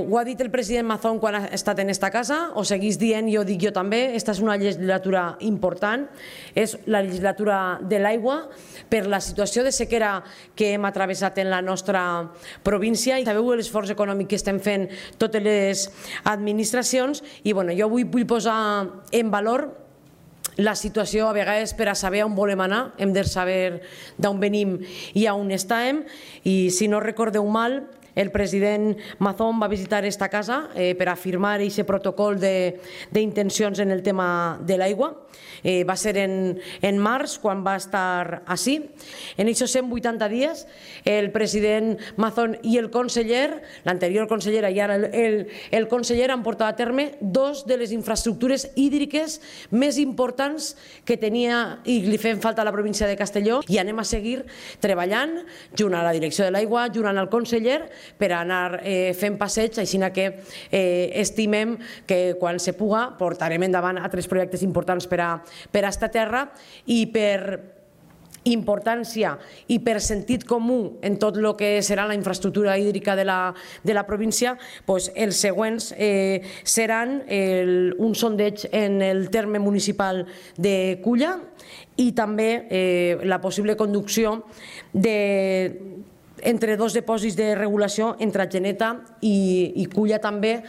Ho ha dit el president Mazón quan ha estat en esta casa, ho seguís dient, jo dic jo també, esta és una legislatura important, és la legislatura de l'aigua per la situació de sequera que hem atravessat en la nostra província i sabeu l'esforç econòmic que estem fent totes les administracions i jo avui vull posar en valor la situació. A vegades per a saber on volem anar hem de saber d'on venim i on estem i si no recordeu mal el president Mazón va visitar esta casa per a firmar aquest protocol d'intencions en el tema de l'aigua. Va ser en març quan va estar així. En aquests 180 dies el president Mazón i el conseller, l'anterior consellera i ara el conseller, han portat a terme dos de les infraestructures hídriques més importants que tenia i li fem falta a la província de Castelló i anem a seguir treballant junt a la direcció de l'aigua, junt al conseller per anar fent passeig, així que estimem que quan se puga portarem endavant altres projectes importants per a esta terra i per importància i per sentit comú en tot el que serà la infraestructura hídrica de la província, els següents seran un sondeig en el terme municipal de Culla i també la possible conducció entre dos dipòsits de regulació entre Atzeneta i Culla també